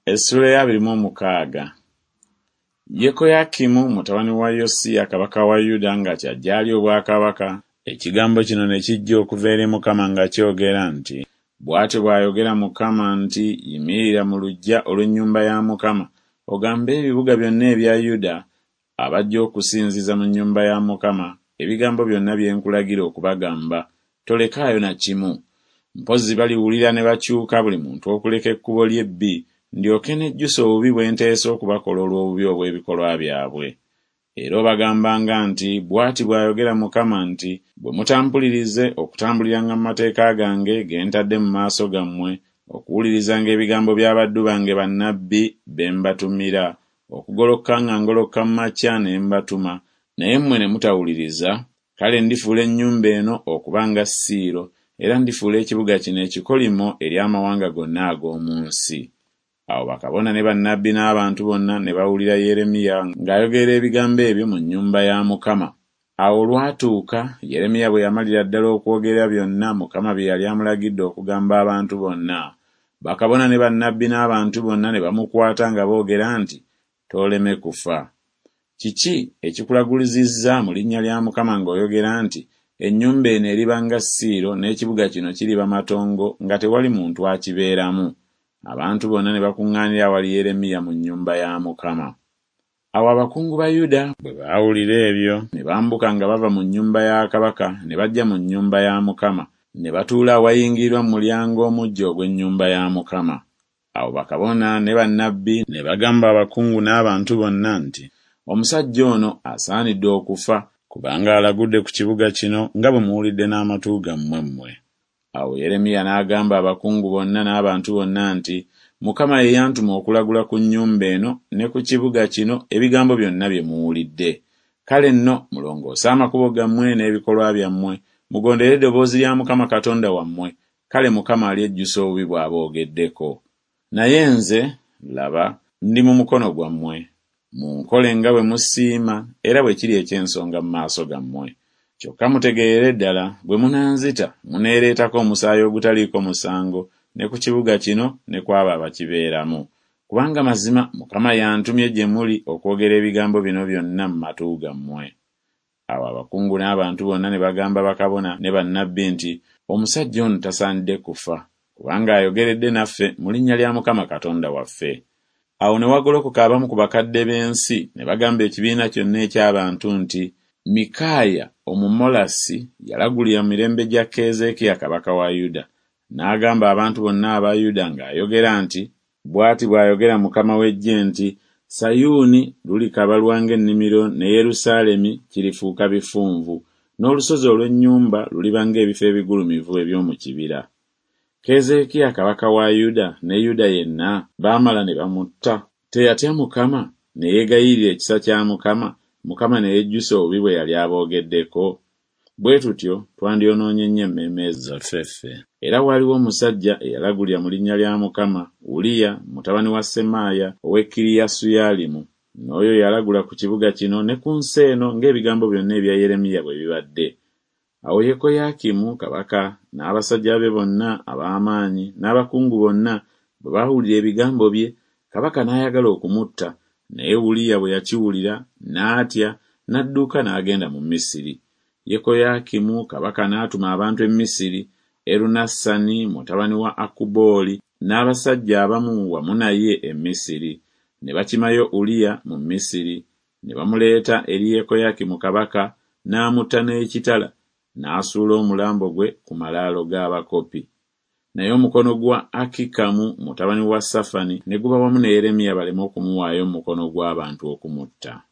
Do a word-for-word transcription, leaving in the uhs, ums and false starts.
Essula ya abiri mu omukaaga. Yekoyakimu mutabani wa Yosiya kabaka wa Yuda nga kyajja alya obwakabaka, ekigambo kino ne kijja okuva eri Mukama nga kyogera nti, Bw'atyo bw'ayogera Mukama nti, Yimirira mu luggya olw'ennyumba ya Mukama, ogambe ebibuga byonna ebya Yuda abajja okusinziza mu nnyumba ya Mukama ebigambo byonna bye nkulagira okubagamba, tolekaayo na kimu. Mpozzi baliwulira ne bakyuka buli muntu okuleka ekkubo lye ebbi, ndyoke nejjuse obubi bwe nteesa okubakola olw'obubi obw'ebikolwa byabwe. Era obagambanga nti, Bw'ati bw'ayogera Mukama nti, Bwe mutampulirize okutambuliranga mu mateeka gange ge ntadde mu maaso gammwe, okuwulirizanga ebigambo by'abaddu bange bannabbi be mbatumira, okugolokoka nga ngolokoka mu makya ne mbatuma, naye mmwe ne mutawuliriza, kale ndifuula ennyumba eno okuba nga Siiro, era ndifuula ekibuga kino ekikolimo eri amawanga gonna ag'omu nsi. Awo bakabona ne bannabbi n'abantu bonna ne bawulira Yeremiya ng'ayogera ebigambo ebyo mu nnyumba ya Mukama. Awo olwatuuka, Yeremiya bwe yamalira ddala okwogera byonna Mukama bye yali amulagidde okugamba abantu bonna, bakabona ne bannabbi n'abantu bonna ne bamukwata nga boogera nti, Tooleme kufa. Kiki ekikulagulizizza mu linnya lya Mukama ng'oyogera nti, Ennyumba eno eriba nga Siiro n'ekibuga kino kiriba matongo nga tewali muntu akibeeramu? Abantu bonna ne bakuŋŋaanira awali Yeremiya mu nnyumba ya Mukama. Awo abakungu ba Yuda bwe baawulira ebyo, ne bambuka nga bava mu nnyumba ya kabaka ne bajja mu nnyumba ya Mukama, ne batuula awayingirirwa mu mulyango omuggya ogw'ennyumba ya Mukama. Awo bakabona ne bannabbi ne bagamba abakungu n'abantu bonna nti, Omusajja ono asaanidde okufa, kubanga alagudde ku kibuga kino nga bwe muwulidde n'amatu gammwe mmwe. Awo Yeremiya n'agamba abakungu bonna n'abantu bonna nti, Mukama ye yantuma okulagula ku nnyumba eno ne ku kibuga kino ebigambo byonna bye muwulidde. Kale nno mulongoose amakubo gammwe n'ebikolwa byammwe, mugondere eddoboozi lya Mukama Katonda wammwe, kale Mukama alyejjusa obubi bw'aboogeddeko. Naye nze, laba, ndi mu mukono gwammwe. Munkole nga bwe musiima era bwe kiri eky'ensonga mu maaso gammwe. Kyokka mutegeerere ddala, bwe munanzita, muneereetako omusaayi ogutaliiko musango ne ku kibuga kino ne ku abo abakibeeramu. Kubanga mazima Mukama y'antumye gye muli okwogera ebigambo bino byonna mu matu gammwe. Awo abakungu n'abantu bonna ne bagamba bakabona ne bannabbi nti, Omusajja ono tasaanidde kufa, kubanga ayogeredde naffe mu linnya lya Mukama Katonda waffe. Awo ne wagolokoka abamu ku bakadde b'ensi ne bagamba ekibiina kyonna eky'abantu nti, Mikaaya Omumolasi yalagulira mu mirembe gya Keezeekiya kabaka wa Yuda, n'agamba abantu bonna aba Yuda ng'ayogera nti, Bw'ati bw'ayogera Mukama w'eggye nti, Sayuuni lulikabalwa ng'ennimiro ne Yerusaalemi kirifuuka bifunvu, n'olusozi olw'ennyumba luliba ng'ebifo ebigulumivu eby'omu kibira. Keezeekiya kabaka wa Yuda ne Yuda yenna baamala ne bamutta. Teyatya Mukama, ne yeegayirira ekisa kya Mukama, Mukama ne yejjusa obubi bwe yali aboogeddeko. Bwe tutyo twandyonoonye nnyo emmeeme zaffe ffe. Era waaliwo omusajja eyalagulira mu linnya lya Mukama, Uliya mutabani wa Semaaya ow'e Kiriyasuyalimu. N'oyo yalagula ku kibuga kino ne ku nsi eno ng'ebigambo byonna ebya Yeremiya bwe bibadde. Awo Yekoyakimu kabaka n'abasajja be bonna ab'amaanyi n'abakungu bonna bwe baawulira ebigambo bye, kabaka n'ayagala okumutta, naye Uliya bwe yakiwulira n'atya n'adduka n'agenda mu Misiri. Yekoyakimu kabaka n'atuma abantu e Misiri, Erunasani mutabani wa Akubooli n'abasajja abamu wamu naye e Misiri. Ne bakimayo Uliya mu Misiri, ne bamuleeta eri Yekoyakimu kabaka, n'amutta n'ekitala, n'asuula omulambo gwe ku malaalo g'abakopi. Naye omukono gwa Akikamu mutabani wa Safani ne guba wamu ne Yeremiya baleme okumuwaayo mu mukono gw'abantu okumutta.